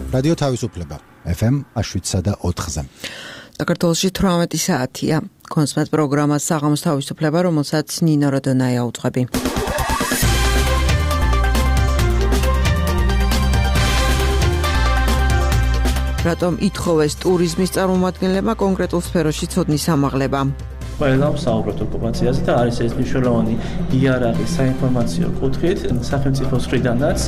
რადიო თავისუფლება FM 107.4-ზე. საქართველოში 18 საათია. კონსმეთ პროგრამა საღამოს თავისუფლება, რომელსაც ნინო როდონაია უძღვები. რატომ ითხოვეს ტურიზმის წარმომადგენლებმა კონკრეტულ სფეროში ცოდნის ამაღლება? ყველა საუბრობთ ოკუპაციაზე და არის ეს მნიშვნელოვანი იარაღი საინფორმაციო კუთხით სახელმწიფოს მხრიდანაც.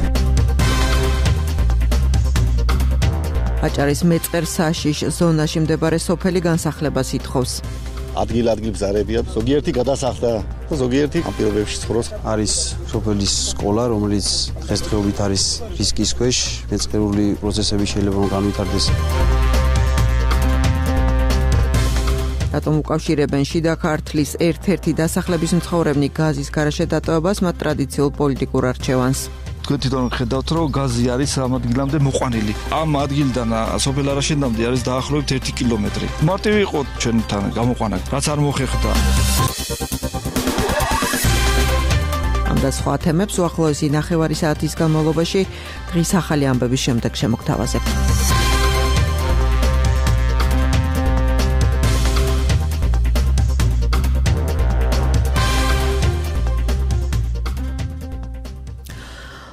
აჭარის მეწყერ-საშიშ ზონაში მდებარე სოფელი განსახლებას ითხოვს. ადგილ-ადგილ ბზარებია, ზოგიერთი გადასახლდა და ზოგიერთი ამ პირობებში ცხოვრობს. არის სოფელის სკოლა, რომელიც დღესდღეობით არის რისკის ქვეშ, მეწყერული პროცესები შეიძლება განვითარდეს. რატომ უკავშირებენ შიდა ქართლის ერთ-ერთი დასახლების მცხოვრებნი გაზის გარეშე დატოვებას მათ ტრადიციულ პოლიტიკურ არჩევანს? თქვენ თვითონ ხედავთ, რომ გაზი არის ამ ადგილამდე მოყვანილი. ამ ადგილიდან სოფელ არაშენდამდე არის დაახლოებით 1 კილომეტრი. მარტივი იყო ჩვენთან გამოყვანა, რაც არ მოხერხდა. ამ და სხვა თემებს უახლოესი ნახევარი საათის განმავლობაში დღის ახალი ამბების შემდეგ შემოგთავაზებთ.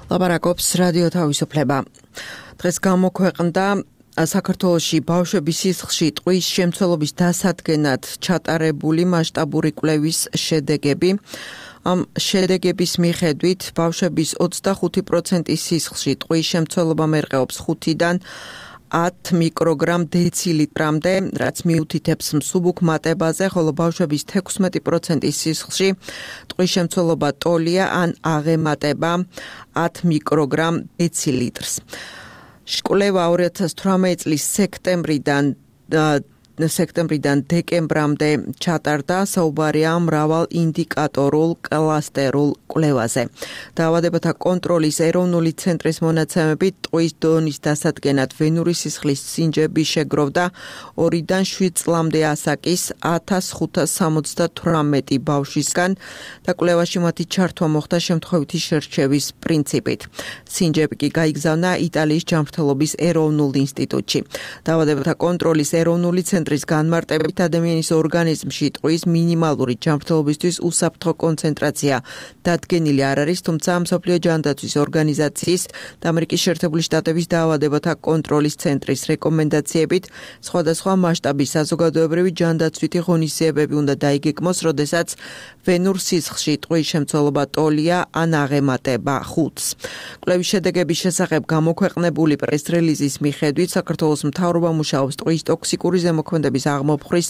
ლაპარაკობს რადიო თავისუფლება. დღეს გამოქვეყნდა საქართველოში ბავშვების სისხლში ტყვის შემცველობის დასადგენად ჩატარებული მასშტაბური კვლევის შედეგები. ამ შედეგების მიხედვით ბავშვების 25%-ის სისხლში ტყვის შემცველობა მერყეობს 5-დან 10 მიკროგრამ დეცილიტრამდე, რაც მიუთითებს მსუბუქ მატებაზე, ხოლო ბავშვების 16%-ის სისხლში ტყვის შემცველობა ტოლია ან აღემატება 10 მიკროგრამ დეცილიტრს. კვლევა 2018 წლის სექტემბრიდან დეკემბრამდე ჩატარდა, საუბარია მრავალ ინდიკატორულ კლასტერულ კვლევაზე. დაავადებათა კონტროლის ეროვნული ცენტრის მონაცემებით ტყვის დონის დასადგენად ვენური სისხლის სინჯები შეგროვდა 2-დან 7 წლამდე ასაკის 1578 ბავშვისგან და კვლევაში მათი ჩართვა მოხდა შემთხვევითი შერჩევის პრინციპით. სინჯები კი გაიგზავნა იტალიის ჯანმრთელობის ეროვნულ ინსტიტუტში. დაავადებათა კონტროლის ეროვნული ცენტრის განმარტებით ადამიანის ორგანიზმში ტყვის მინიმალური ჯანმრთელობისთვის უსაფრთხო კონცენტრაცია დადგენილი არ არის, თუმცა მსოფლიო ჯანდაცვის ორგანიზაციის და ამერიკის შეერთებული შტატების დაავადებათა კონტროლის ცენტრის რეკომენდაციებით სხვადასხვა მასშტაბის საზოგადოებრივი ჯანდაცვითი ღონისძიებები უნდა დაიგეგმოს, როდესაც ვენურ სისხლში ტყვის შემცველობა ტოლია ან აღემატება 5-ს. კვლევის შედეგების შესახებ გამოქვეყნებული პრეს-რელიზის მიხედვით საქართველოს მთავრობა მუშაობს ტყვის ტოქსიკური ზემოქმედების აღმოფხვრის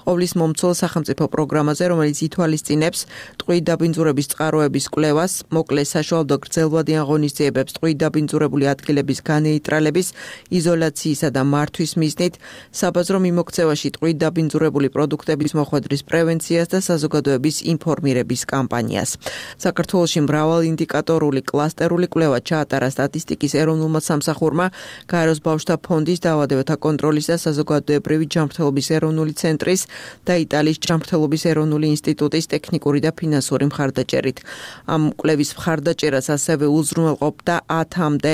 ყოვლის მომცველ სახელმწიფო პროგრამაზე, რომელიც ითვალისწინებს ტყუით დაბინძურების წყაროების კვლევას, მოკლეს საშუალო გრძელვადიან ღონისძიებებს ტყუით დაბინძურებული ადგილების განეიტრალების, იზოლაციისა და მართვის მიზნით, საბაზრო მიმოქცევაში ტყუით დაბინძურებული პროდუქტების მოხვედრის პრევენციას და საზოგადოების ინფორმირების კამპანიას. საქართველოში მრავალ ინდიკატორული კლასტერული კვლევა ჩაატარა სტატისტიკის ეროვნულმა სამსახურმა, გაეროს ბავშვთა ფონდის, დაავადებათა კონტროლის და საზოგადოებრივი ჯანმრთელობის ეროვნული ცენტრის და იტალიის ჯანმრთელობის ეროვნული ინსტიტუტის ტექნიკური და ფინანსური მხარდაჭერით. ამ კვლევის მხარდაჭერას ასევე უზრუნველყოფდა 10-მდე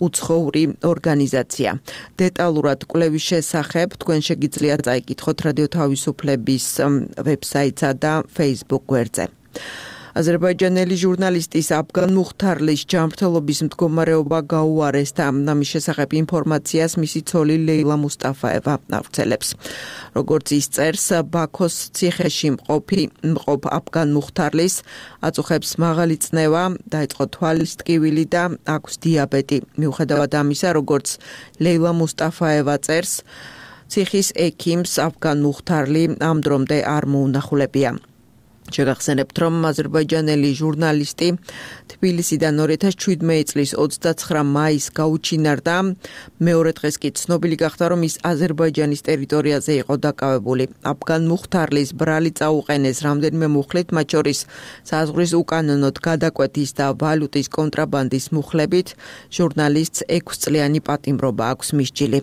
უცხოური ორგანიზაცია. დეტალურად კვლევის შესახებ თქვენ შეგიძლიათ წაიკითხოთ რადიო თავისუფლების ვებსაიტსა და Facebook გვერდზე. აზერბაიჯანელი ჟურნალისტის აფგან მუხთარლის ჯანმრთელობის მდგომარეობა გაუარეს და ამის შესახებ ინფორმაციას მისი ცოლი ლეილა მუსტაფაევა ავრცელებს. როგორც ის წერს, ბაქოს ციხეში მყოფ აფგან მუხთარლის აწუხებს მაღალი წნევა, დაიწყო თვალის ტკივილი და აქვს დიაბეტი. მიუხედავად ამისა, როგორც ლეილა მუსტაფაევა წერს, ციხის ექიმს აფგან მუხთარლი ამ დრომდე არ მოუნახულებია. შეგახსენებთ, რომ აზერბაიჯანელი ჟურნალისტი თბილისიდან 2017 წლის 29 მაისს გაუჩინარდა. მეორე დღეს კი ცნობილი გახდა, რომ ის აზერბაიჯანის ტერიტორიაზე იყო დაკავებული. აფგან მუხთარლის ბრალი წაუყენეს რამდენიმე მუხლით, მათ შორის საზღვრის უკანონოდ გადაკვეთის და ვალუტის კონტრაბანდის მუხლებით. ჟურნალისტს 6 წლიანი პატიმრობა აქვს მისჯილი.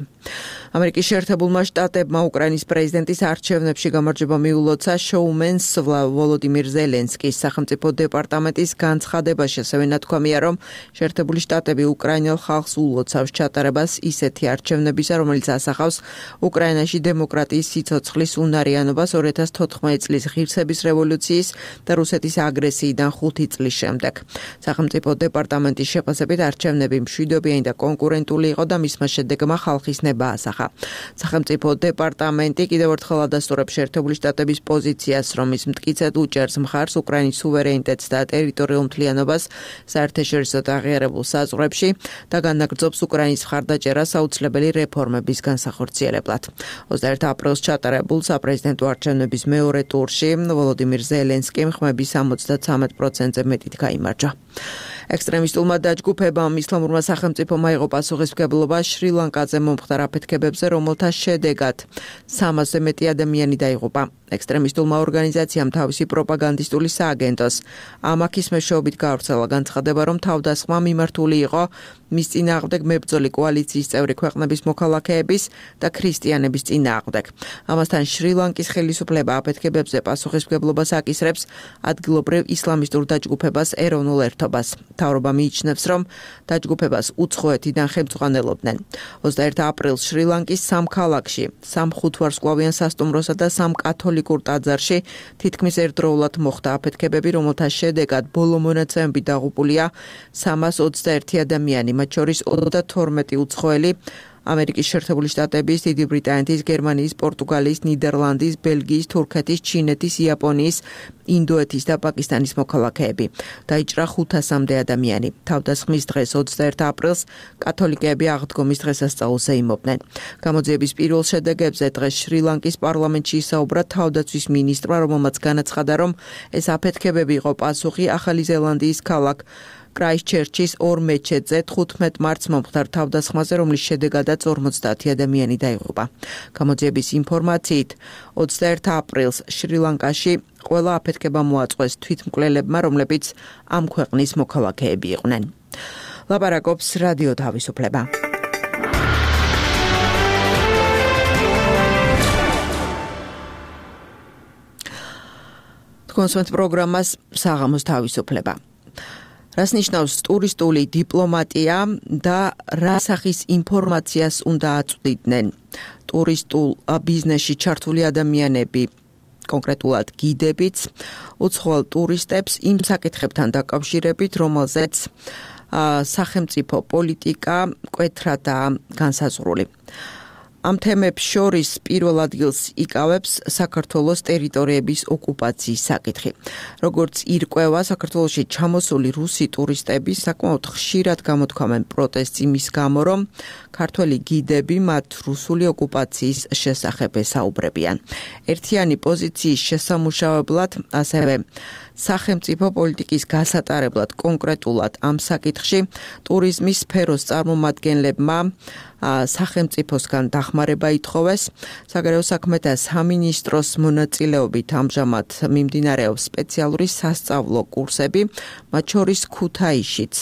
ამერიკის შეერთებულმა შტატებმა უკრაინის პრეზიდენტის არჩევნებში გამარჯვება მიულოცა შოუმენს ვოლოდიმირ ზელენსკის სახელმწიფო დეპარტამენტის განცხადებაში ასევე ნათქვამია, რომ შეერთებული შტატები უკრაინელ ხალხს ულოცავს ჩატარებას ისეთი არჩევნებისა, რომელიც ასახავს უკრაინაში დემოკრატიის სიცოცხლის უნარიანობას 2014 წლის ღირსების რევოლუციის და რუსეთის აგრესიიდან 5 წლის შემდეგ. სახელმწიფო დეპარტამენტის შეფასებით არჩევნები მშვიდობიანი და კონკურენტული იყო და მისმა შედეგმა ხალხის ნება ასახა. სახელმწიფო დეპარტამენტი კიდევ ერთხელ ადასტურებს შეერთებული შტატების პოზიციას, რომ ის მტკიცედ უჭერს მხარს უკრაინის სუვერენიტეტს და ტერიტორიულ მთლიანობას საერთაშორისო აღიარებულ საზღვრებში და განაგრძობს უკრაინის მხარდაჭერას აუცილებელი რეფორმების განსახორციელებლად. 21 აპრილს ჩატარებულ საპრეზიდენტო არჩევნების მეორე ტურში ვოლოდიმირ ზელენსკიმ ხმების 73%-ზე მეტით გაიმარჯვა. ექსტრემისტულმა დაჯგუფებამ ისლამურმა სახელმწიფომ აიღო პასუხისმგებლობა შრი-ლანკაზე მომხდარ აფეთქებებზე, რომელთა შედეგად 300-ზე მეტი ადამიანი დაიღუპა. ექსტრემისტულმა ორგანიზაციამ თავისი პროპაგანდისტული სააგენტოს ამაქის მეშვეობით გაავრცელა განცხადება, რომ თავდასხმა მიმართული იყო მის წინააღმდეგ მებრძოლი კოალიციის წევრი ქვეყნების მოქალაქეების და ქრისტიანების წინააღმდეგ. ამასთან შრი-ლანკის ხელისუფლება აფეთქებებზე პასუხისმგებლობას აკისრებს ადგილობრივ ისლამისტურ დაჯგუფებას ეროვნულ ერთობას. მთავრობა მიიჩნევს, რომ დაჯგუფებას უცხოეთიდან ხელმძღვანელობდნენ. 21 აპრილს შრი-ლანკის 3 ქალაქში, 3 ხუთვარსკვლავიან სასტუმროსა და 3 კათოლიკურ ტაძარში თითქმის ერთდროულად მოხდა აფეთქებები, რომელთა შედეგად ბოლო მონაცემები დაღუპულია 321 ადამიანი, მათ შორის 32 უცხოელი ამერიკის შეერთებული შტატების, დიდი ბრიტანეთის, გერმანიის, პორტუგალიის, ნიდერლანდის, ბელგიის, თურქეთის, ჩინეთის, იაპონიის, ინდოეთის და პაკისტანის მოქალაქეები. დაიჭრა 500-მდე ადამიანი. თავდასხმის დღეს 21 აპრილს კათოლიკეები აღდგომის დღესასწაულს ეიმობდნენ. გამოძიების პირველ შედეგებზე დღეს შრი-ლანკის პარლამენტში ისაუბრა თავდაცვის მინისტრმა, რომელმაც განაცხადა, რომ ეს აფეთქებები იყო პასუხი ახალი ზელანდიის ქალაქ კრაისჩერჩის 2 მეჩეთზე 15 მარტს მომხდარ თავდასხმაზე, რომლის შედეგადაც 50 ადამიანი დაიღუპა. გამოძიების ინფორმაციით 21 აპრილს შრი-ლანკაში ყველა აფეთქება მოაწყვეს თვითმკვლელებმა, რომლებიც ამ ქვეყნის მოქალაქეები იყვნენ. ლაპარაკობს რადიო თავისუფლება. კონსვენთ პროგრამას საღამოს თავისუფლება. რას ნიშნავს ტურისტული დიპლომატია და რა სახის ინფორმაციას უნდა აწვდიდნენ ტურისტულ ბიზნესში ჩართული ადამიანები, კონკრეტულად გიდებიც, უცხოელ ტურისტებს იმ საკითხებთან დაკავშირებით, რომელზეც სახელმწიფო პოლიტიკა მკვეთრადაა განსაზღვრული. ამ თემებს შორის პირველ ადგილს იკავებს საქართველოს ტერიტორიების ოკუპაციის საკითხი. როგორც ირკვევა, საქართველოში ჩამოსული რუსი ტურისტები საკმაოდ ხშირად გამოთქვამენ პროტესტს იმის გამო, რომ ქართველი გიდები მათ რუსული ოკუპაციის შესახებ ესაუბრებიან. ერთიანი პოზიციის შესამუშავებლად, ასევე სახელმწიფო პოლიტიკის გასატარებლად კონკრეტულად ამ საკითხში ტურიზმის სფეროს წარმომადგენლებმა სახელმწიფოსგან დახმარება ითხოვეს. საგარეო საქმეთა სამინისტროს მონაწილეობით ამჟამად მიმდინარეობს სპეციალური სასწავლო კურსები, მათ შორის ქუთაისშიც.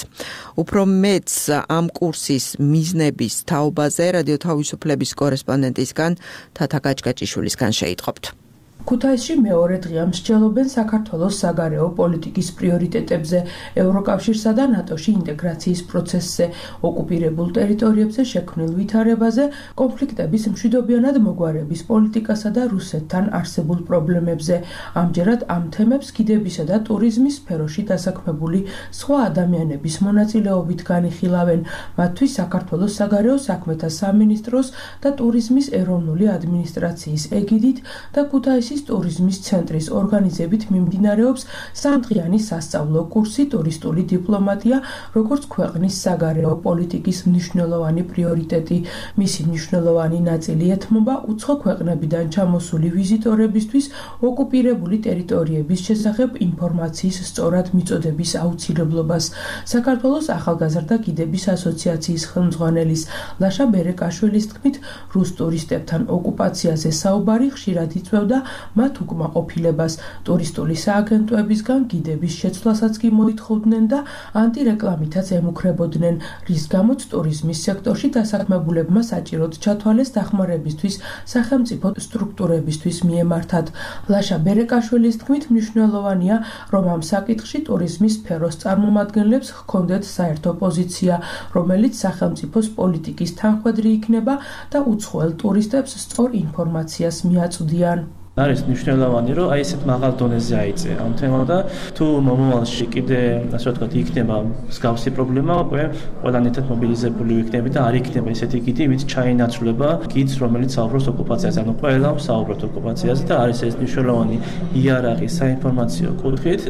უფრო მეც ამ კურსის მიზნების თაობაზე რადიო თავისუფლების კორესპონდენტისგან თათა გაჭგაჭიშვილისგან შეიტყობთ. ქუთაისში მეორე დღეა მსჯელობენ საქართველოს საგარეო პოლიტიკის პრიორიტეტებზე, ევროკავშირსა და ნატოში ინტეგრაციის პროცესზე, ოკუპირებულ ტერიტორიებზე შექმნილ ვითარებაზე, კონფლიქტების მშვიდობიანად მოგვარების პოლიტიკასა და რუსეთთან არსებულ პრობლემებზე. ამჯერად ამ თემებს გიდებისა და ტურიზმის სფეროში დასაქმებული სხვა ადამიანების მონაწილეობით განიხილავენ, მათთვის საქართველოს საგარეო საქმეთა სამინისტროს და ტურიზმის ეროვნული ადმინისტრაციის ეგიდით და ქუთაისის ტურიზმის ცენტრის ორგანიზებით მიმდინარეობს 3დღიანი სასწავლო კურსი ტურისტული დიპლომატია, როგორც ქვეყნის საგარეო პოლიტიკის მნიშვნელოვანი პრიორიტეტი. მისი მნიშვნელოვანი ნაწილი ეთმობა უცხო ქვეყნებიდან ჩამოსული ვიზიტორებისთვის ოკუპირებული ტერიტორიების შესახებ ინფორმაციის სწორად მიწოდების აუცილებლობას. საქართველოს ახალგაზრდა გიდების ასოციაციის ხელმძღვანელის ლაშა ბერეკაშვილის თქმით, რუს ტურისტებთან ოკუპაციაზე საუბარი ხშირად იწვევდა მათ უკმაყოფილებას. ტურისტული სააგენტოებისგან გიდების შეცვლასაც კი მოითხოვდნენ და ანტირეკლამითაც ემუქრებოდნენ, რის გამოც ტურიზმის სექტორში დასაქმებულებმა საჭიროდ ჩათვალეს დახმარებისთვის სახელმწიფო სტრუქტურებისთვის მიემართათ. ლაშა ბერეკაშვილის თქმით მნიშვნელოვანია, რომ ამ საკითხში ტურიზმის სფეროს წარმომადგენლებს ჰქონდეთ საერთო პოზიცია, რომელიც სახელმწიფოს პოლიტიკის თანხვედრი იქნება და უცხოელ ტურისტებს სწორ ინფორმაციას მიაწვდიან. არის მნიშვნელოვანი, რომ აი ესეთ მაღალ დონეზე აიწე ამ თემა და თუ მომავალში კიდე ასე ვთქვათ იქნება მსგავსი პრობლემა, უკვე ყველანაირად მობილიზებული ვიქნები და არ იქნება ესეთი გიდი, ვით ჩაინაცვლება გიდს, რომელიც საუბრობს ოკუპაციაზე. ანუ ყველა საუბრობს ოკუპაციაზე და არის ეს მნიშვნელოვანი იარაღი საინფორმაციო კუთხით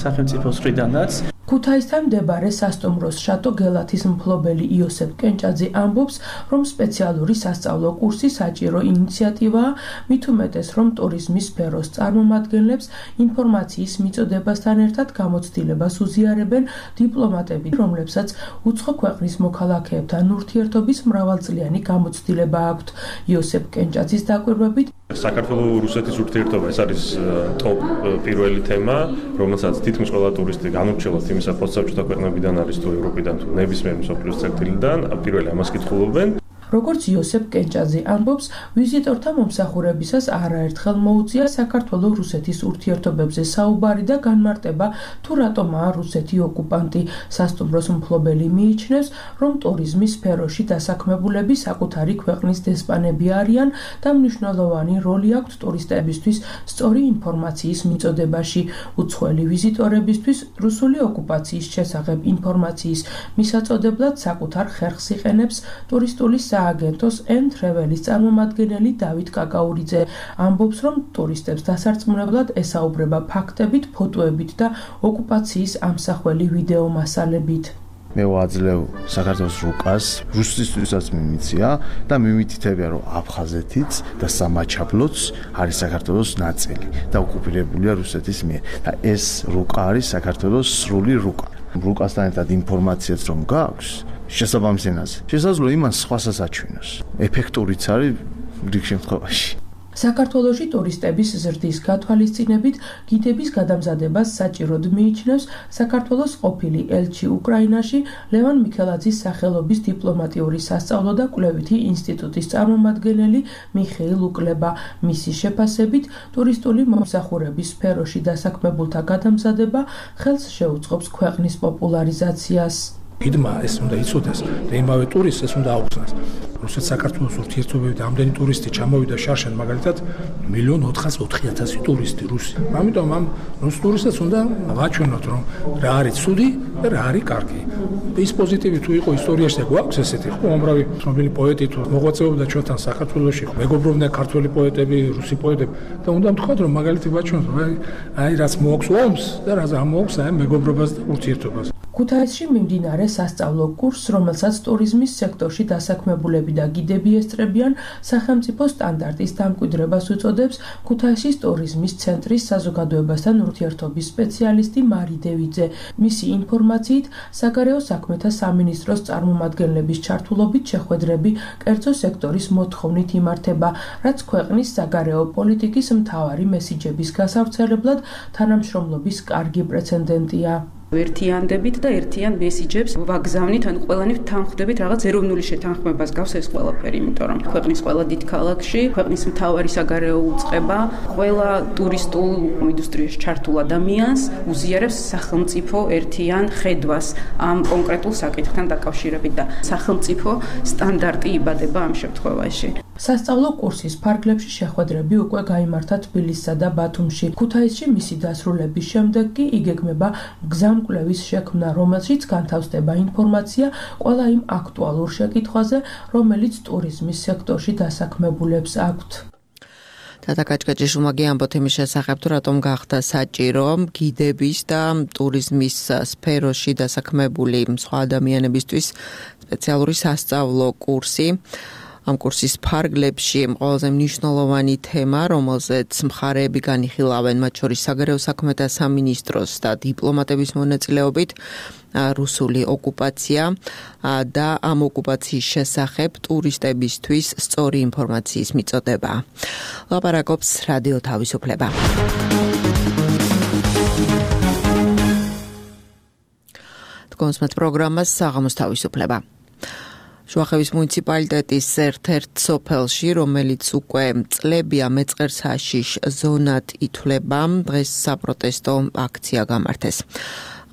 სახელმწიფოს მხრიდანაც. ქუთაისთან მდებარე სასტუმროს შატო გელათის მფლობელი იოსებ კენჭაძე ამბობს, რომ სპეციალური სასწავლო კურსი საჭირო ინიციატივაა, მით უმეტეს, რომ ტურიზმის სფეროს წარმომადგენლებს ინფორმაციის მიწოდებასთან ერთად გამოცდილებას უზიარებენ დიპლომატები, რომლებსაც უცხო ქვეყნის მოქალაქეებთან ურთიერთობის მრავალწლიანი გამოცდილება აქვთ. იოსებ კენჭაძის დაკვირვებით საქართველოს-რუსეთის ურთიერთობა ეს არის ტოპ პირველი თემა, რომელსაც თითქმის ყველა ტურისტი განურჩევლად იმისა პოსტსაბჭოთა ქვეყნებიდან არის თუ ევროპიდან თუ ნებისმიერ მსოფლიოს წერტილიდან, პირველი ამას კითხულობენ. როგორც იოსებ კენჭაძე ამბობს, ვიზიტორთა მომსახურებისას არაერთხელ მოუწია საქართველოს-რუსეთის ურთიერთობებზე საუბარი და განმარტება, თუ რატომაა რუსეთი ოკუპანტი. სასტუმროს მფლობელი მიიჩნევს, რომ ტურიზმის სფეროში დასაქმებულები საკუთარი ქვეყნის დესპანები არიან და მნიშვნელოვანი როლი აქვთ ტურისტებისთვის სწორი ინფორმაციის მიწოდებაში. უცხოელი ვიზიტორებისთვის რუსული ოკუპაციის შესახებ ინფორმაციის მისაწოდებლად საკუთარ ხერხს იყენებს ტურისტული სააგენტოს M-Travel-ის წარმომადგენელი დავით კაკაურიძე. ამბობს, რომ ტურისტებს დასარწმუნებლად ესაუბრება ფაქტებით, ფოტოებით და ოკუპაციის ამსახველი ვიდეო მასალებით. მე ვაძლევ საქართველოს რუკას, რუსეთისთვისაც მიმიცია და მიმითითებია, რომ აფხაზეთიც და სამაჩაბლოც არის საქართველოს ნაწილი და ოკუპირებულია რუსეთის მიერ. და ეს რუკა არის საქართველოს სრული რუკა. რუკასთან ერთად ინფორმაციაც რომ გაქვს შესაბამის ენაზე. შესაძლოა იმას სხვასაც აჩვენოს. ეფექტურიც არის რიგ შემთხვევაში. საქართველოში ტურისტების ზრდის გათვალისწინებით გიდების გადამზადებას საჭიროდ მიიჩნევს საქართველოს ყოფილი ელჩი უკრაინაში ლევან მიქელაძის სახელობის დიპლომატიური სასწავლო და კვლევითი ინსტიტუტის წარმომადგენელი მიხეილ უკლება. მისი შეფასებით, ტურისტული მომსახურების სფეროში დასაქმებულთა გადამზადება ხელს შეუწყობს ქვეყნის პოპულარიზაციას. გიდმა ეს უნდა იცოდეს და იმავე ტურისტს ეს უნდა აუხსნას. რუსეთ-საქართველოს ურთიერთობები და ამდენი ტურისტი ჩამოვიდა შარშან, მაგალითად 1,404,000 ტურისტი რუსი. ამიტომ ამ რუს ტურისტებს უნდა ვაჩვენოთ, რომ რა არის ცუდი და რა არის კარგი. ის პოზიტივი თუ იყო ისტორიაში და გვაქვს ესეთი, ხო, უამრავი ცნობილი პოეტი თუ მოღვაწეობდა ჩვენთან საქართველოში, მეგობრობდნენ ქართველი პოეტები, რუსი პოეტები და უნდა ვთქვათ, რომ მაგალითი ვაჩვენოთ, აი რაც მოაქვს ომს და რაც ამოაქვს აი მეგობრობას და ურთიერთობას. ქუთაისში მიმდინარე სასწავლო კურსს, რომელსაც ტურიზმის სექტორში დასაქმებულები და გიდები ესწრებიან, სახელმწიფო სტანდარტის დამკვიდრებას უწოდებს ქუთაისის ტურიზმის ცენტრის საზოგადოებასთან ურთიერთობის სპეციალისტი მარი დევიძე. მისი ინფორმაციით, საგარეო საქმეთა სამინისტროს წარმომადგენლების ჩართულობით შეხვედრები კერძო სექტორის მოთხოვნით იმართება, რაც ქვეყნის საგარეო პოლიტიკის მთავარი მესიჯების გასავრცელებლად თანამშრომლობის კარგი პრეცედენტია. ერთიანდებით და ერთიან მესიჯებს ვაგზავნით, ან ყველანი თანხმდებით რაღაც ეროვნული შეთანხმებას გავს ეს ყველაფერი, იმიტომ რომ ქვეყნის ყველა დიდ ქალაქში, ქვეყნის მთავარი საგარეო უწყება, ყველა ტურისტულ ინდუსტრიაში ჩართულ ადამიანს უზიარებს სახელმწიფო ერთიან ხედვას ამ კონკრეტულ საკითხთან დაკავშირებით და სახელმწიფო სტანდარტი იბადება ამ შემთხვევაში. სასწავლო კურსის ფარგლებში შეხვედრები უკვე გაიმართა თბილისსა და ბათუმში. ქუთაისში მისი დასრულების შემდეგ კი იგეგმება გზამკვლევის შექმნა, რომელშიც განთავსდება ინფორმაცია ყველა იმ აქტუალურ შეკითხვაზე, რომელიც ტურიზმის სექტორში დასაქმებულებს აქვთ. თათა კაჭკაჭიშვილმა ამბო თემის შესახებ, თუ რატომ გახდა საჭირო გიდების და ტურიზმის სფეროში დასაქმებული სხვა ადამიანებისთვის სპეციალური სასწავლო კურსი. ამ კურსის ფარგლებში ყველაზე მნიშვნელოვანი თემა, რომელზეც მხარეები განიხილავენ, მათ შორის საგარეო საქმეთა სამინისტროს და დიპლომატების მონაწილეობით, რუსული ოკუპაცია და ამ ოკუპაციის შესახებ ტურისტებისთვის სწორი ინფორმაციის მიწოდება. ლაპარაკობს რადიო თავისუფლება. კონსმეთ პროგრამას საღამოს თავისუფლება. შუახევის მუნიციპალიტეტის ერთ-ერთ სოფელში, რომელიც უკვე წლებია მეწყერს ჰაშიშ ზონად ითვლება, დღეს საპროტესტო აქცია გამართეს.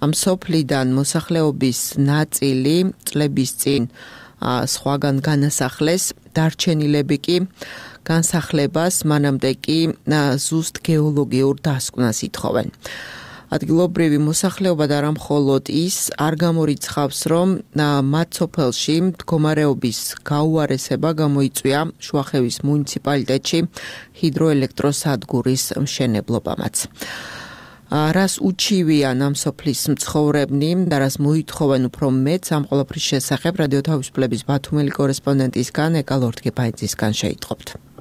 ამ სოფლიდან მოსახლეობის ნაწილი წლების წინ სხვაგან განასახლეს, დარჩენილები კი განსახლებას, მანამდე კი ზუსტ გეოლოგიურ დასკვნას ითხოვენ. ადგილობრივი მოსახლეობა და არა მხოლოდ ის არ გამორიცხავს, რომ მათ სოფელში მდგომარეობის გაუარესება გამოიწვია შუახევის მუნიციპალიტეტში ჰიდროელექტროსადგურის მშენებლობამაც. რას უჩივიან ამ სოფლის მცხოვრებნი და რას მოითხოვენ უფრო მეც ამ ყველაფრის შესახებ რადიო თავისუფლების ბათუმელი კორესპონდენტისგან ეკა ლორთგეპაიძისგან შეიტყობთ.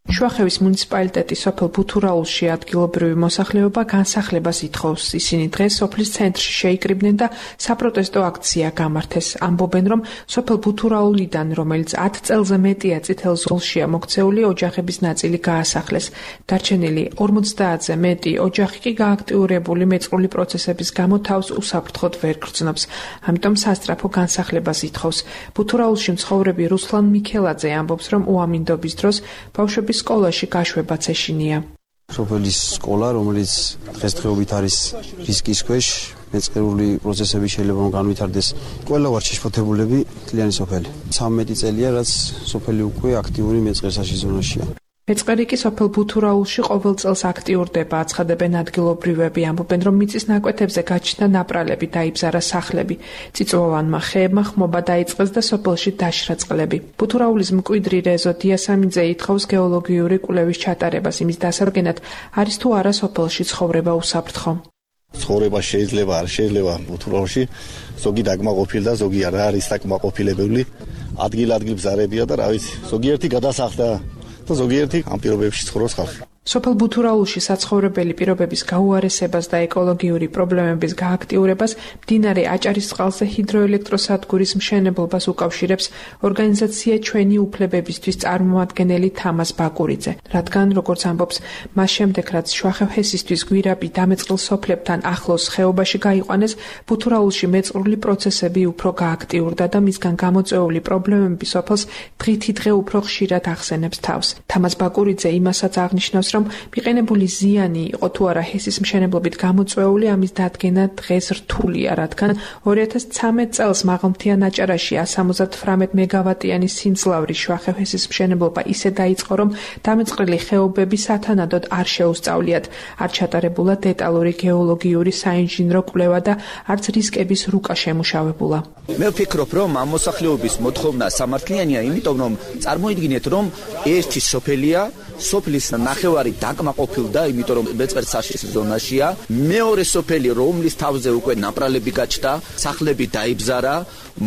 შუახევის მუნიციპალიტეტის სოფელ ბუთურაულში ადგილობრივი მოსახლეობა განსახლებას ითხოვს. ისინი დღეს სოფლის ცენტრში შეიკრიბნენ და საპროტესტო აქცია გამართეს. ამბობენ, რომ სოფელ ბუთურაულიდან, რომელიც 10 წელზე მეტია წითელ ზოლშია მოქცეული, ოჯახების ნაწილი გაასახლეს. დარჩენილი 50-ზე მეტი ოჯახი კი გააქტიურებული მეწყრული პროცესების გამო თავს უსაფრთხოდ ვერ გრძნობს. ამიტომ სასწრაფო განსახლებას ითხოვს. ბუთურაულში მცხოვრები რუსლან მიქელაძე ამბობს, რომ უამინდობის დროს ბავშვების სკოლაში გაშვებაც ეშინია. სოფელის სკოლა, რომელიც დღესდღეობით არის რისკის ქვეშ, მეწყრული პროცესები შეიძლება განვითარდეს. ყველა ვარ შეშფოთებულები თლიანი სოფელი. 13 წელია, რაც სოფელი უკვე აქტიური მეწყერსაში ზონაშია. მეწყერი კი სოფელ ბუთურაულში ყოველ წელს აქტიურდება, აცხადებენ ადგილობრივები, ამბობენ, რომ მიწის ნაკვეთებზე გაჩნდა ნაპრალები, დაიბზარა სახლები. წიწვოვანმა ხეებმა ხმობა დაიწყეს და სოფელში დაშრა წყლები. ბუთურაულის მკვიდრი რეზო დიასამიძე ითხოვს გეოლოგიური კვლევის ჩატარებას, იმის დასადგენად არის თუ არა სოფელში ცხოვრება უსაფრთხო. ცხოვრება შეიძლება, არ შეიძლება ბუთურაულში, ზოგი დაკმაყოფილდა, ზოგი არ არის დაკმაყოფილებელი. ადგილ-ადგილ ბზარებია და რა ვიცი, ზოგიერთი გადასახლდა. ზოგიერთი ამ პირობებში ცხოვრობს ხალხი. სოფელ ბუთურაულში საცხოვრებელი პირობების გაუარესებას და ეკოლოგიური პრობლემების გააქტიურებას მდინარე აჭარისწყალზე ჰიდროელექტროსადგურის მშენებლობას უკავშირებს ორგანიზაცია ჩვენი უფლებებისთვის წარმომადგენელი თამაზ ბაკურიძე. რადგან, როგორც ამბობს, მას შემდეგ რაც შუახევ ჰესისთვის გვირაბი დამეწყრილ სოფლებთან ახლოს ხეობაში გაიყვანეს, ბუთურაულში მეწყრული პროცესები უფრო გააქტიურდა და მისგან გამოწვეული პრობლემები სოფელს დღითიდღე უფრო ხშირად ახსენებს თავს. თამაზ ბაკურიძე იმასაც აღნიშნავს, რომ მიყენებული ზიანი იყო თუ არა ჰესის მშენებლობით გამოწვეული, ამის დადგენა დღეს რთულია, რადგან 2013 წელს მაღალმთიან აჭარაში 178 მეგავატიანი სიმძლავრის შუახევ ჰესის მშენებლობა ისე დაიწყო, რომ დამეწყრილი ხეობები სათანადოდ არ შეუსწავლიათ, არ ჩატარებულა დეტალური გეოლოგიური საინჟინრო კვლევა და არც რისკების რუკა შემუშავებულა. მე ვფიქრობ, რომ ამ მოსახლეობის მოთხოვნა სამართლიანია, იმიტომ რომ წარმოიდგინეთ, რომ ერთი სოფელია, სოფლის ნახევარი დაკმაყოფილდა, იმიტომ რომ მეწყერსაშის ზონაშია. მეორე სოფელი, რომლის თავზე უკვე ნაპრალები გაჩნდა, სახლები დაიბზარა,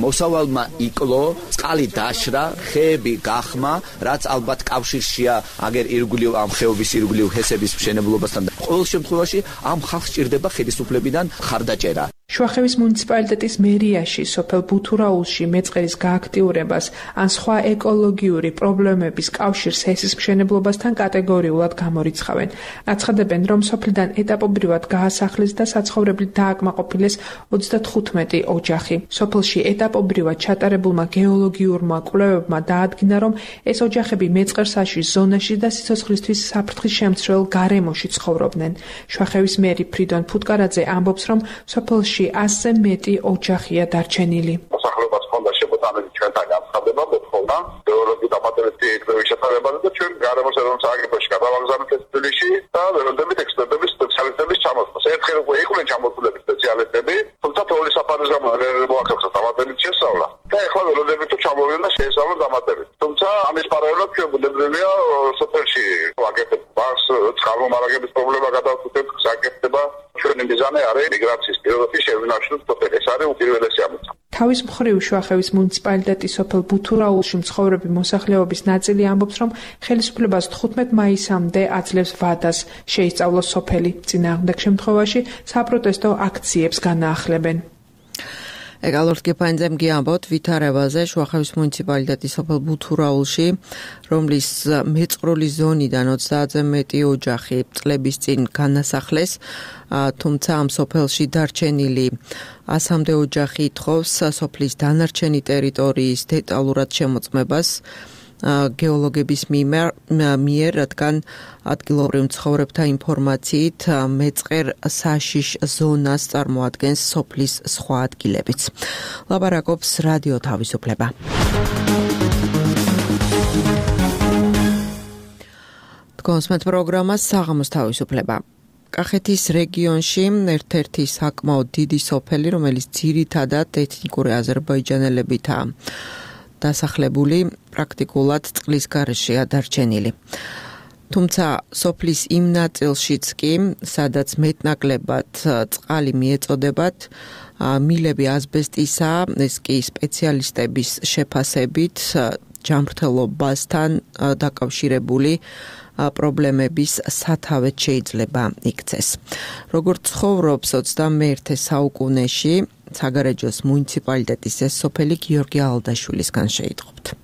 მოსავალმა იკლო, წყალი დაშრა, ხეები გახმა, რაც ალბათ კავშირშია აგერ ირგვლივ ამ ხეობის ირგვლივ ჰესების მშენებლობასთან. ყოველ შემთხვევაში ამ ხალხს ჭირდება ხელისუფლებიდან ხარდაჭერა. შუახევის მუნიციპალიტეტის მერიაში სოფელ ბუთურაულში მეწყერის გააქტიურებას ან სხვა ეკოლოგიური პრობლემების კავშირს ჰესის მშენებლობასთან კატეგორიულად გამორიცხავენ. აცხადებენ, რომ სოფლიდან ეტაპობრივად გაასახლეს და საცხოვრებლად დააკმაყოფილეს 35 ოჯახი. სოფელში ეტაპობრივად ჩატარებულმა გეოლოგიურმა კვლევებმა დაადგინა, რომ ეს ოჯახები მეწყერსაში ზონაში და სიცოცხლისთვის საფრთხის შემცრელ გარემოში ცხოვრობდნენ. შუახევის მერი ფრიდონ ფუტკარაძე ამბობს, რომ სოფელში 100-ზე მეტი ოჯახია დარჩენილი. მოსახლეობას ჰქონდა შემოტანილი ჩვენთან განცხადება, მოთხოვნა გეოლოგიური დამატებითი კვლევის ჩატარებაზე და ჩვენ გარემოს ეროვნულ სააგენტოში გადავაგზავნეთ ეს თბილისში და ველოდებით ექსპერტების სპეციალისტების ჩამოსვლას. ერთხელ უკვე იყვნენ ჩამოსულები სპეციალისტები, თუმცა თოვლის საფარის გამო არ მოახერხა დამატებით შესწავლა. და ეხლა ველოდებით თუ ჩამოვიდნენ და შეესწავლონ დამატებით. თუმცა ამის პარალელურად ჩვენ ბუნებრივია სოფელში ვაკეთებ ბაღს, წყალმომარაგების პრობლემა გადავწყვეტ, საკეთდება ჩვენი მიზანი არის მიგრაციის პირობების შევნაშლოს სოფელი. ეს არის უპირველესი ამოცანა. თავის მხრივ შუახევის მუნიციპალიტეტის სოფელ ბუთურაულში მცხოვრები მოსახლეობის ნაწილი ამბობს, რომ ხელისუფლებას 15 მაისამდე აძლევს ვადას შეისწავლოს სოფელი. წინააღმდეგ შემთხვევაში საპროტესტო აქციებს განაახლებენ. Egalort Gepainzem giambot ვითარებაზე შუახევის მუნიციპალიტეტის სოფელ ბუთურაულში, რომლის მეწყრული ზონიდან 30-ზე მეტი ოჯახი წლების წინ განასახლეს, თუმცა ამ სოფელში დარჩენილი 100-მდე ოჯახი ითხოვს სოფლის დანარჩენი ტერიტორიის დეტალურად შემოწმებას გეოლოგების მიერ, რადგან ადგილობრივ მცხოვრებთა ინფორმაციით მეწყერ საშიშ ზონას წარმოადგენს სოფლის სხვა ადგილებიც. ლაბარაკობს რადიო თავისუფლება. კონსმეთ პროგრამა საღამოს თავისუფლება. კახეთის რეგიონში ერთ-ერთი საკმაოდ დიდი სოფელი, რომელიც ძირითადად ეთნიკური აზერბაიჯანელებითაა დასახლებული, პრაქტიკულად წყლის გარეშეა დარჩენილი. თუმცა სოფლის იმ ნაწილშიც კი, სადაც მეტნაკლებად წყალი მიეწოდებათ, მილები ასბესტისა, ეს კი სპეციალისტების შეფასებით ჯანმრთელობასთან დაკავშირებული პრობლემების სათავეც შეიძლება იქცეს. როგორც ცხოვრობს 21 საუკუნეში საგარეჯოს მუნიციპალიტეტის ეს სოფელი გიორგი ალდაშვილისგან შეიტყობთ.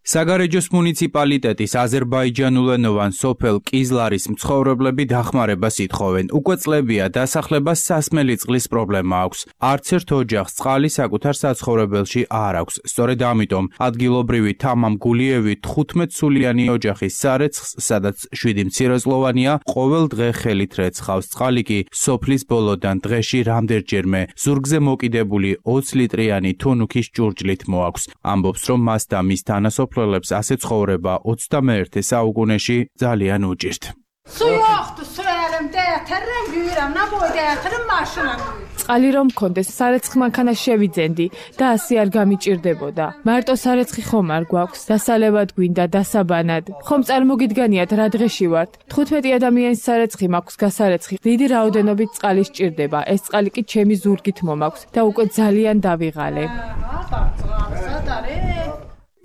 საგარეჯოს მუნიციპალიტეტის აზერბაიჯანულენოვან სოფელ კიზლარის მცხოვრებლები დახმარებას ითხოვენ. უკვე წლებია დასახლებას სასმელი წყლის პრობლემა აქვს. არც ერთ ოჯახს წყალი საკუთარ საცხოვრებელში არ აქვს. სწორედ ამიტომ ადგილობრივი თამამ გულიევი 15 სულიანი ოჯახის სარეცხს, სადაც 7 მცირეწლოვანია, ყოველ დღე ხელით რეცხავს. წყალი კი სოფლის ბოლოდან დღეში რამდენჯერმე ზურგზე მოკიდებული 20 ლიტრიანი თუნუქის ჭურჭლით მოაქვს. ამბობს, რომ მას და მის თანასოფლელებს ასე ცხოვრება 21 საუკუნეში ძალიან უჭირთ. წყალი რომ მქონდეს, სარეცხ მანქანას შევიძენდი და ასე არ გამიჭირდებოდა. მარტო სარეცხი ხომ არ გვაქვს, დასალევად გვინდა, დასაბანად. ხომ წარმოგიდგანიათ რა დღეში ვართ. 15 ადამიანის სარეცხი მაქვს გასარეცხი. დიდი რაოდენობით წყალი სჭირდება. ეს წყალი კი ჩემი ზურგით მომაქვს და უკვე ძალიან დავიღალე.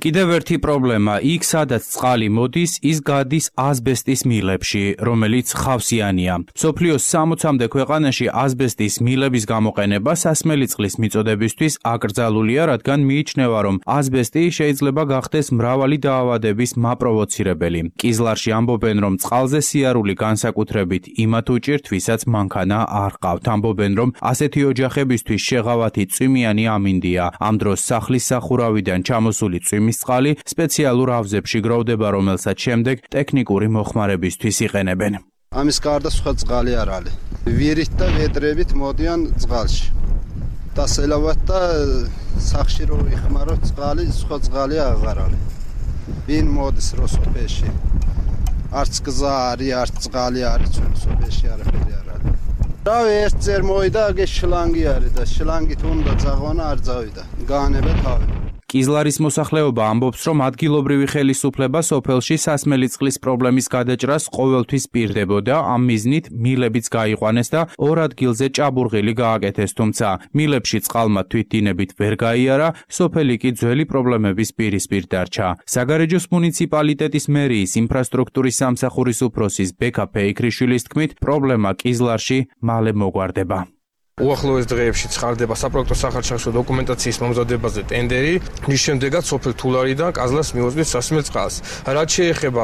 კიდევ ერთი პრობლემა, იქ სადაც წყალი მოდის, ის გადის ასბესტის მილებში, რომელიც ხავსიანია. მსოფლიოს 60-მდე ქვეყანაში ასბესტის მილების გამოყენება სასმელი წყლის მიწოდებისთვის აკრძალულია, რადგან მიიჩნევა, რომ ასბესტი შეიძლება გახდეს მრავალი დაავადების მაპროვოცირებელი. კიზლარში ამბობენ, რომ წყალზე სიარული განსაკუთრებით იმათ უჭირთ, ვისაც მანქანა არ ყავთ. ამბობენ, რომ ასეთი ოჯახებისთვის შეღავათი წვიმიანი ამინდია. ამ დროს სახლის სახურავიდან ჩამოსული წვიმის წყალი სპეციალურ ავზებში გროვდება, რომელსაც შემდეგ ტექნიკური მოხმარებისთვის იყენებენ. ამის გარდა სხვა წყალი არ არის. ვირით და ვედრებით მოდიან წყალში. დასელავად და სახში რო იხმაროთ წყალი, სხვა წყალი აღარ არის. ვინ მოდის რო სოფელში? არც გზა არის, არც წყალი არის, ჩვენ სოფელში არაფერი არ არის. რავი, ერთჯერ მოვიდა, აგე შლანგი არის და შლანგით უნდა წაღვანა, არ წავიდა. გაანება თავი. კიზლარის მოსახლეობა ამბობს, რომ ადგილობრივი ხელისუფლება სოფელში სასმელი წყლის პრობლემის გადაჭრას ყოველთვის პირდებოდა, ამ მიზნით მილებიც გაიყვანეს და ორ ადგილზე ჭაბურღილი გააკეთეს, თუმცა მილებში წყალმა თვითდინებით ვერ გაიარა, სოფელი კი ძველი პრობლემების პირისპირ დარჩა. საგარეჯოს მუნიციპალიტეტის მერიის ინფრასტრუქტურის სამსახურის უფროსის ბექა ფეიქრიშვილის თქმით, პრობლემა კიზლარში მალე მოგვარდება. უახლოეს დღეებში ცხარდება საპროექტო სახარშახშო დოკუმენტაციის მომზადებაზე ტენდერი, რის შემდეგაც სოფელ თულარიდან კაზლას მიუძღვის სასმელ წყალს. რაც შეეხება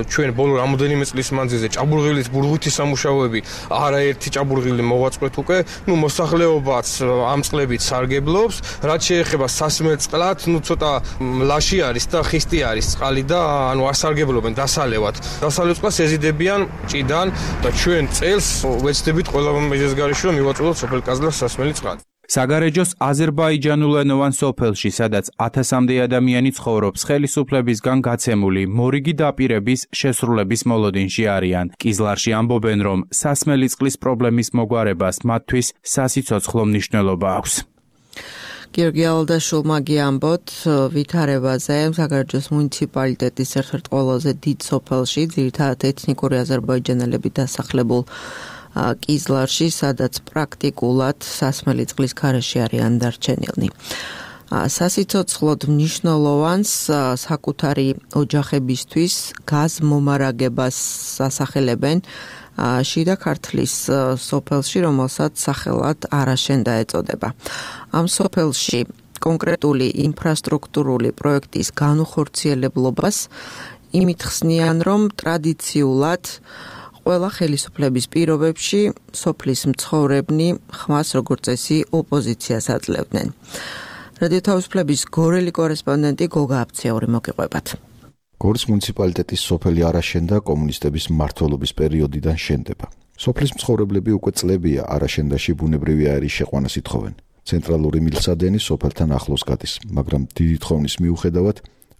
ჩვენ ბოლო რამოდენიმე წლის მანძილზე ჭაბურღილის ბურღვითი სამუშაოები, არაერთი ჭაბურღილი მოვაწყოთ უკვე, მოსახლეობაც ამ წყლებით სარგებლობს. რაც შეეხება სასმელ წყლად, ცოტა ლაში არის და ხისტი არის წყალი და არ სარგებლობენ დასალევად. დასალევ წყალს ეზიდებიან ჭიდან და ჩვენ წელს ვეცდებით ყველა მეზეზგარიში რომ მივაწვდოთ კაზლას სასმელი წყალი. საგარეჯოს აზერბაიჯანულენოვან სოფელში, სადაც 1000-მდე ადამიანი ცხოვრობს, ხელისუფლებისგან გაცემული მორიგი დაპირების შესრულების მოლოდინში არიან. კიზლარში ამბობენ, რომ სასმელი წყლის პრობლემის მოგვარებას მათთვის სასიცოცხლო მნიშვნელობა აქვს. გიორგი ალდაშვილმა გიამბოთ ვითარებაზე საგარეჯოს მუნიციპალიტეტის ერთ-ერთ ყველაზე დიდ სოფელში, ძირითადად ეთნიკური აზერბაიჯანელები დასახლებულ კიზლარში, სადაც პრაქტიკულად სასმელი წყლის გარეშე არიან დარჩენილნი. სასიცოცხლოდ მნიშვნელოვანს საკუთარი ოჯახებისთვის გაზმომარაგებას ასახელებენ შიდა ქართლის სოფელში, რომელსაც სახელად არაშენდა ეწოდება. ამ სოფელში კონკრეტული ინფრასტრუქტურული პროექტის განუხორციელებლობას იმით ხსნიან, რომ ტრადიციულად ყველა ხელისუფლების პირობებში სოფლის მცხოვრებნი ხმას როგორც წესი ოპოზიციას აძლევდნენ. რადიო თავისუფლების გორელი კორესპონდენტი გოგა აფციური მოგიყვებათ. გორის მუნიციპალიტეტის სოფელი არაშენდა კომუნისტების მმართველობის პერიოდიდან შენდება. სოფლის მცხოვრებლები უკვე წლებია არაშენდაში ბუნებრივი აირის შეყვანას ითხოვენ. ცენტრალური მილსადენი სოფელთან ახლოს გადის, მაგრამ დიდი თხოვნის მიუხედავად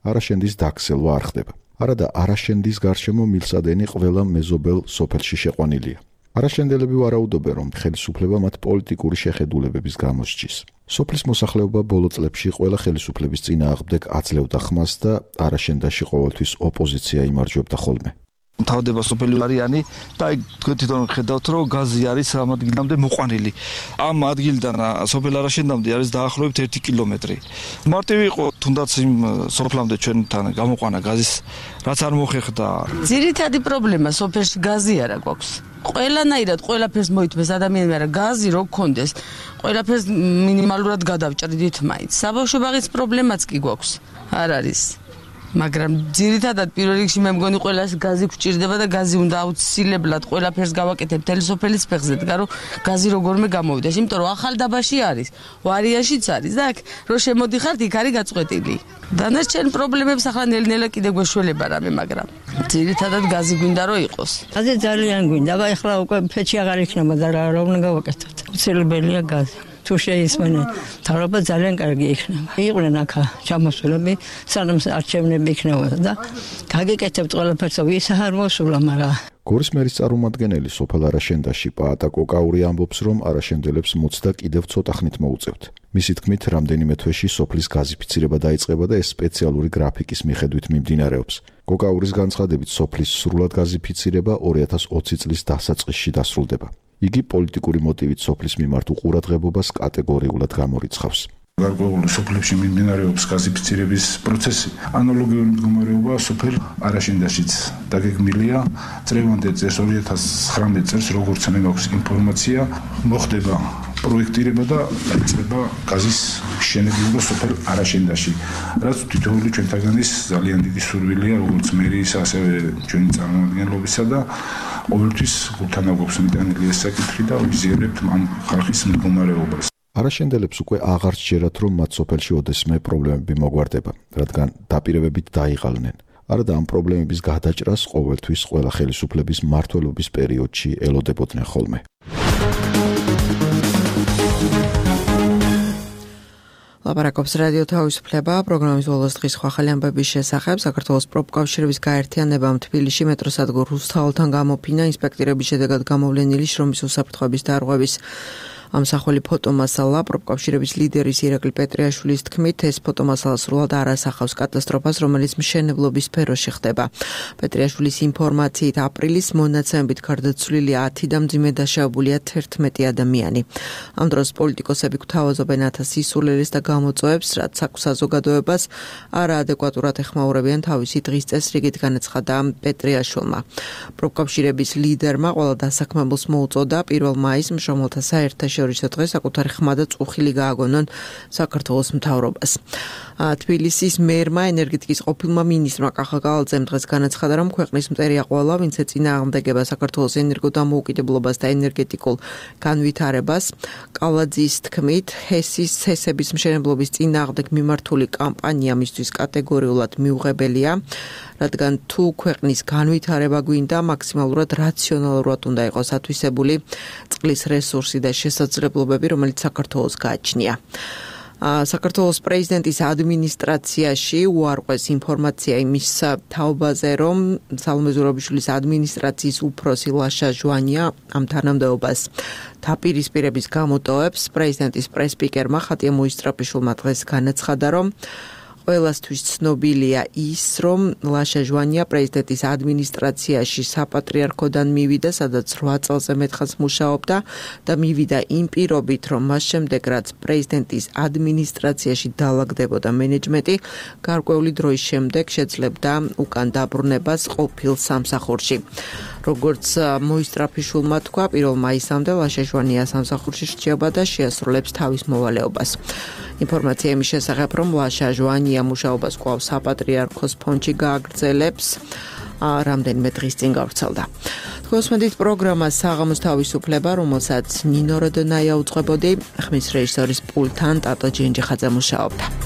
არაშენდის დაქცევა არ ხდება. არადა არაშენდის გარშემო მილსადენი ყველა მეზობელ სოფელში შეყვანილია. არაშენდელები ვარაუდობენ, რომ ხელისუფლება მათ პოლიტიკური შეხედულებების გამო სჯის. სოფლის მოსახლეობა ბოლო წლებში ყველა ხელისუფლების წინააღმდეგ აძლევდა ხმას და არაშენდაში ყოველთვის ოპოზიცია იმარჯვებდა ხოლმე. თავდება სოფელი არიანი და თქვენ თვითონ ხედავთ, რომ გაზი არის ამ ადგილამდე მოყვანილი. ამ ადგილიდან სოფელ არაშენდამდე არის დაახლოებით 1 კილომეტრი. მარტივი იყო თუნდაც იმ სოფლამდე ჩვენთან გამოყვანა გაზის, რაც არ მოხერხდა. ძირითადი პრობლემა სოფელში გაზი არა გვაქვს. ყველანაირად ყველაფერს მოითმეს ადამიანები, მაგრამ გაზი რო გქონდეს, ყველაფერს მინიმალურად გადავჭრიდით მაინც. საბავშვო ბაღის პრობლემაც კი გვაქვს. არ არის. მაგრამ ძირითადად პირველ რიგში მე მგონი ყველას გაზი გვჭირდება და გაზი უნდა აუცილებლად ყველაფერს გავაკეთებ მთელი სოფელის ფეხზე, რომ გაზი როგორმე გამოვიდეს, იმიტომ რომ ახალ დაბაში არის, ვარიანშიც არის და აქ რო შემოდიხართ, იქ არის გაწყვეტილი. დანარჩენ პრობლემებს ახლა ნელ-ნელა კიდე გვეშველება რამე, მაგრამ ძირითადად გაზი გვინდა რომ იყოს. გაზი ძალიან გვინდა, აბა ახლა უკვე ფეჩი აღარ იქნება და რა უნდა გავაკეთოთ. უცილებელია გაზი. თუ შეისმენენ, თავრობა ძალიან კარგი იქნება. იყვნენ აქ ჩამოსულები, სანამ არჩევნები იქნებოდა და გაგეკეთებთ ყველაფერს, ვის არ მოსულა, მაგრამ გორის მერის წარმომადგენელი სოფელ არაშენდაში პაატა კოკაური ამბობს, რომ არაშენდელებს მოცდა კიდევ ცოტა ხნით მოუწევთ. მისი თქმით, რამდენიმე თვეში სოფლის გაზიფიცირება დაიწყება და ეს სპეციალური გრაფიკის მიხედვით მიმდინარეობს. კოკაურის განცხადებით, სოფლის სრულად გაზიფიცირება 2020 წლის დასაწყისში დასრულდება. იგი პოლიტიკური მოტივით სოფლის მიმართ უყურადღებობას კატეგორიულად გამორიცხავს. გარკვეული სოფლებში მიმდინარეობს გაზიფიცირების პროცესი. ანალოგიური მდგომარეობა სოფელ არაშენდაშიც დაგეგმილია. წლევანდელ წელს 2019 წელს, როგორც მე მაქვს ინფორმაცია, მოხდება პროექტირება და დაიწყება გაზის მშენებლობა სოფელ არაშენდაში. რაც თითოეული ჩვენთაგანის ძალიან დიდი სურვილია, როგორც მერის, ასევე ჩვენი წარმომადგენლობისა და ყოველთვის გულთან აგვაქვს მიტანილი ეს საკითხი და ვიზიარებთ ამ ხალხის მდგომარეობას. არაშენდელებს უკვე აღარ სჯერათ, რომ მათ სოფელში ოდესმე პრობლემები მოგვარდება, რადგან დაპირებებით დაიღალნენ. არადა ამ პრობლემების გადაჭრას ყოველთვის ყველა ხელისუფლების მმართველობის პერიოდში ელოდებოდნენ ხოლმე. ლაპარაკობს რადიო თავისუფლება, პროგრამის ბოლოს დღის ახალი ამბების შესახებ. საქართველოს პროფკავშირების გაერთიანებამ თბილისში მეტროსადგურ რუსთაველთან გამოფინა ინსპექტირების შედეგად გამოვლენილი შრომის უსაფრთხოების დარღვევის ამსახველი ფოტომასალა. პროფკავშირების ლიდერის ირაკლი პეტრიაშვილის თქმით, ეს ფოტომასალა სრულად არ ასახავს კატასტროფას, რომელიც მშენებლობის სფეროში ხდება. პეტრიაშვილის ინფორმაციით, აპრილის მონაცემებით გარდაცვლილი 10 და მძიმე დაშავებულია 11 ადამიანი. ამ დროს პოლიტიკოსები გვთავაზობენ 1000 სისულელეს და გამოწვევებს, რაც საზოგადოებას არაადეკვატურად ეხმაურებიან თავისი დღის წესრიგით, განაცხადა პეტრიაშვილმა. პროფკავშირების ლიდერმა ყველა დასაქმებულს მოუწოდა 1 მაისს მშრომელთა საერთაშორისო დღეს საკუთარი ხმა და წუხილი გააგონონ საქართველოს მთავრობას. თბილისის მერმა ენერგეტიკის ყოფილმა მინისტრმა კახა გალაძემ დღეს განაცხადა, რომ ქვეყნის მტერია ყველა, ვინც ეწინააღმდეგება საქართველოს ენერგოდამოუკიდებლობას და ენერგეტიკულ განვითარებას. კალაძის თქმით, ჰესების მშენებლობის წინააღმდეგ მიმართული კამპანია მისთვის კატეგორიულად მიუღებელია, რადგან თუ ქვეყნის განვითარება გვინდა, მაქსიმალურად რაციონალურად უნდა იყოს ათვისებული წყლის რესურსი და შესაძლებლობები, რომელიც საქართველოს გააჩნია. საქართველოს პრეზიდენტის ადმინისტრაციაში უარყვეს ინფორმაცია იმის თაობაზე, რომ სალომე ზურაბიშვილის ადმინისტრაციის უფროსი ლაშა ჟვანია ამ თანამდებობას დაპირისპირების გამოტოვებს. პრეზიდენტის პრესპიკერმა ხატია მოისტრაფიშვილმა დღეს განაცხადა, რომ ყველასთვის ცნობილია ის, რომ ლაშა ჟვანია პრეზიდენტის ადმინისტრაციაში საპატრიარქოდან მივიდა, სადაც 8 წელზე მეტხანს მუშაობდა და მივიდა იმ პირობით, რომ მას შემდეგ რაც პრეზიდენტის ადმინისტრაციაში დაალაგდებოდა მენეჯმენტი, გარკვეული დროის შემდეგ შეძლებდა უკან დაბრუნებას ყოფილ სამსახურში. როგორც მოისტრაფიშულმა თქვა, 1 მაისამდე ლაშა ჟვანია სამსახურში რჩება და შეასრულებს თავის მოვალეობას. ინფორმაცია იმის შესახებ, რომ ლაშა ჟვანია მუშაობას კვლავ საპატრიარქოს ფონდში გააგრძელებს, რამდენიმე დღის წინ გავრცელდა. თქვენსმენთ პროგრამა საღამოს თავისუფლება, რომელსაც ნინო როდონაია უძღვებოდი, ხმის რეჟისორის პულტთან ტატო ჯენჯიხაძე მუშაობდა.